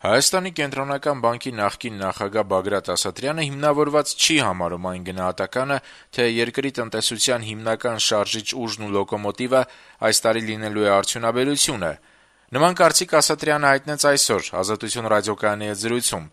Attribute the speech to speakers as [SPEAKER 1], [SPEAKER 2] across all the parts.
[SPEAKER 1] Հայաստանի կենտրոնական բանկի նախկին նախագահ Բագրատ Ասատրյանը հիմնավորված չի համարում այն գնահատականը, թե երկրի տնտեսության հիմնական շարժիչ ուժն ու լոկոմոտիվը այս տարի լինելու է արդյունաբերությունը։ Նման կարծիք Ասատրյանը հայտնեց այսօր «Ազատություն» ռադիոկայանի հետ զրույցում։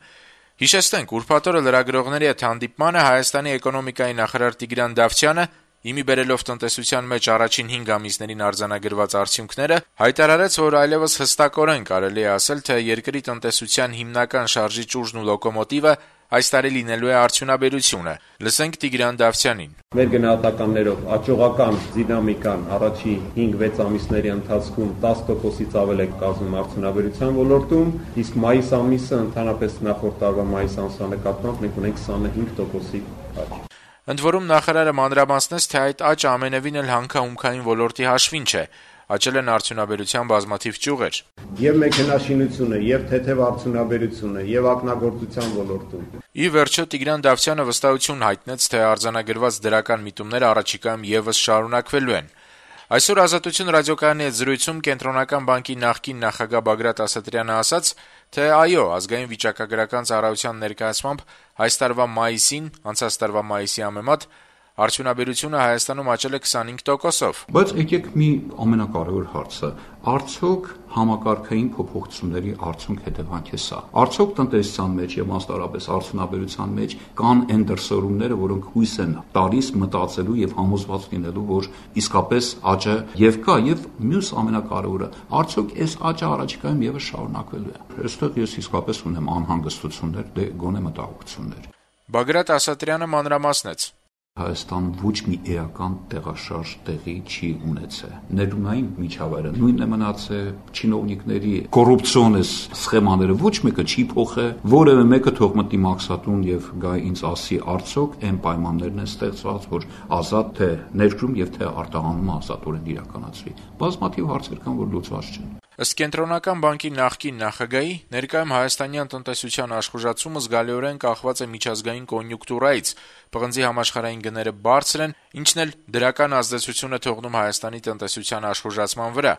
[SPEAKER 1] Հիշեցնենք, ուրբաթ օրը լրագրողների հետ հանդիպմանը Հայաստանի էկոնոմիկայի նախարար Տիգրան Դավթյանը, իմի բերելով տնտեսության մեջ առաջին 5 ամիսներին արձանագրված արդյունքները, հայտարարեց, որ այլևս հստակորեն կարելի է ասել, թե երկրի տնտեսության հիմնական շարժիչ ուժն ու լոկոմոտիվը այս տարի լինելու է արդյունաբերությունը։ Լսենք Տիգրան Դավթյանին։
[SPEAKER 2] Մեր գնահատականներով աճողական դինամիկան առաջին 5-6 ամիսների ընթացքում 10%-ից ավել է կազմում արդյունաբերության ոլորտում, իսկ մայիս ամիսը ընդհանրապես նախորդ տարվա մայիս ամսվա նկատմամբ մենք ունենք 25%-ի աճ։
[SPEAKER 1] Ընդ որում նախարարը մանրամասնեց, թե այդ աճը ամենևին էլ հանքահումքային ոլորտի հաշվին չէ, աճել են արդյունաբերության բազմաթիվ ճյուղեր։
[SPEAKER 2] Եվ մեքենաշինությունը, եւ թեթև արդյունաբերությունը, եւ ակնագործության ոլորտում։
[SPEAKER 1] Ի վերջո Տիգրան Դավթյանը վստահություն հայտնեց, թե արձանագրված դրական միտումները առաջիկայում եւս շարունակվելու են։ Այսօր «Ազատություն» ռադիոկայանի հետ զրույցում կենտրոնական բանկի նախկին նախագահ Բագրատ Ասատրյանը ասաց, թե այո, ազգային վիճակագրական ծառայության ներկայացմամբ այս տարվա մայիսին, անցած տարվա մայիսի համեմատ արդյունաբերությունը Հայաստանում աճել է 25%-ով։
[SPEAKER 3] Բայց եկեք մի ամենակարևոր հարցը, արդյոք համակարգային փոփոխությունների արդյունք հետևանք է սա։ Արդյոք տնտեսության մեջ եւ մասնավորապես արդյունաբերության մեջ կան այն դրսևորումները, որոնք հույս են տալիս մտածելու եւ համոզված լինելու, որ իսկապես աճը եւ կա, եւ մյուս ամենակարևորը, արդյոք այս աճը առաջիկայում եւս շարունակվելու է։ Այստեղ ես իսկապես ունեմ անհանգստություններ, դե գոնե մտահոգություններ։
[SPEAKER 1] Բագրատ Ասատրյանը մանրամասնեց.
[SPEAKER 3] Հայաստան ոչ մի էական տեղաշարժ տեղի չի ունեցել։ Ներունային միջավայրը նույնն է մնացել, չինովնիկների կոռուպցիոն սխեմաները ոչ մեկը չի փոխել, որևէ մեկը թող մտնի մաքսատուն եւ գա ինձ ասի արդյոք այն պայմաններն են ստեղծված, որ ազատ թե ներկրում եւ թե արտահանումը ազատորեն իրականացվի։ Բազմաթիվ հարցեր կան, որ լուծված չեն։
[SPEAKER 1] Ըստ կենտրոնական բանկի նախկին նախագահի, ներկայում հայաստանյան տնտեսության աշխուժացումը զգալիորեն կախված է միջազգային կոնյունկտուրայից, պղնձի համաշխարհային գները բարձր են, ինչն էլ դրական ազդեցություն է թողնում Հայաստանի տնտեսության աշխուժացման վրա։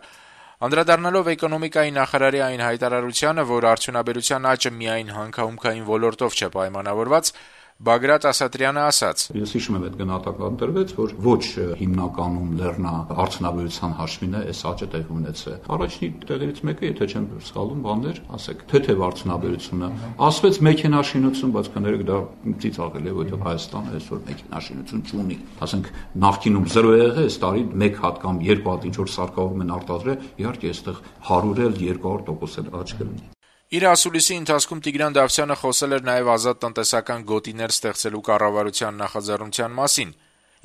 [SPEAKER 1] Անդրադառնալով էկոնոմիկայի նախարարի այն հայտարարությանը, որ արդյունաբերության աճը միայն հանքահումքային ոլորտով չէ պայմանավորված, Բագրատ Ասատրյանը ասաց.
[SPEAKER 3] Ես հիշում եմ այդ գնահատական տրվեց, որ ոչ հիմնականում լեռնա արդյունաբերության հաշվին է այս աճը տեղի ունեցել։ Առաջին տեղերից մեկը, եթե չեմ սխալվում, բաներ, ասեք, թեթև արդյունաբերությունը, ասվեց մեքենաշինություն, բայց կներեք դա ծիծաղել է, որովհետև Հայաստանը այսօր մեքենաշինություն չունի։ Ասենք նախկինում 0 է եղել, այս տարի 1 հատ կամ 2 հատ ինչ որ սարքավորում են արտադրել, իհարկե այստեղ 100-ել 200% աճ կլինի։
[SPEAKER 1] Իր ասուլիսի ընթացքում Տիգրան Դավթյանը խոսել էր նաև ազատ տնտեսական գոտիներ ստեղծելու կառավարության նախաձեռնության մասին։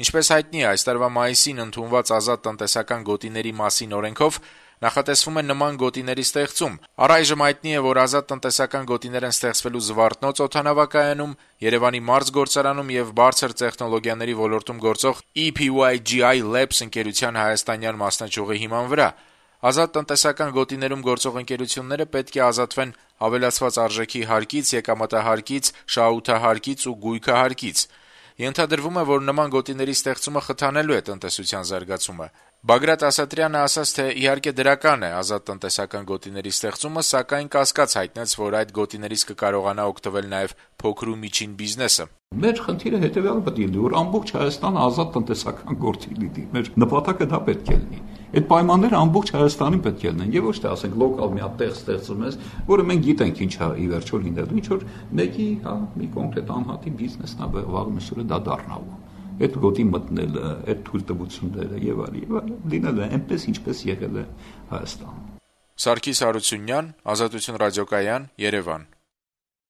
[SPEAKER 1] Ինչպես հայտնի է, այս տարվա մայիսին ընդունված ազատ տնտեսական գոտիների մասին օրենքով նախատեսվում է նման գոտիների ստեղծում։ Առայժմ հայտնի է, որ ազատ տնտեսական գոտիներ են ստեղծվելու Զվարթնոց օդանավակայանում, Երևանի մարզգործարանում եւ բարձր տեխնոլոգիաների ոլորտում գործող EPYGI Labs ընկերության հայաստանյան մասնաճյուղի հիման վրա։ Ազատ տնտեսական գոտիներում գործող ընկերությունները պետք է ազատվեն ավելացված արժեքի հարկից, եկամտահարկից, շահութահարկից ու գույքահարկից։ Ենթադրվում է, որ նման գոտիների ստեղծումը խթանելու է տնտեսության զարգացումը։ Բագրատ Ասատրյանը ասաց, թե իհարկե դրական է ազատ տնտեսական գոտիների ստեղծումը, սակայն կասկած հայտնեց, որ այդ գոտիներից կկարողանա օգտվել նաև փոքր ու միջին բիզնեսը։
[SPEAKER 3] Մեր խնդիրը հետևյալը պետք է լինի, որ ամբողջ Հայաստանը ազատ տնտեսական գործի լինի։ Մեր նպատակը դա պետք է լինի։ Այդ պայմանները ամբողջ Հայաստանին պետք է լինեն, եւ ոչ թե ասենք լոկալ մի հատ տեղ ստեղծում ես, որը մենք գիտենք ինչ է ի վերջո լինելու, ինչ որ մեկի, մի կոնկրետ անհատի բիզնեսն է վաղ մսուրը դա դառնալու։ Այդ գոտի մտնելը, այդ թույլտվությունները եւ այլն լինել է այնպես ինչպես եղել է Հայաստանում։
[SPEAKER 1] Սարգիս Հարությունյան, Ազատություն ռադիոկայան, Երևան։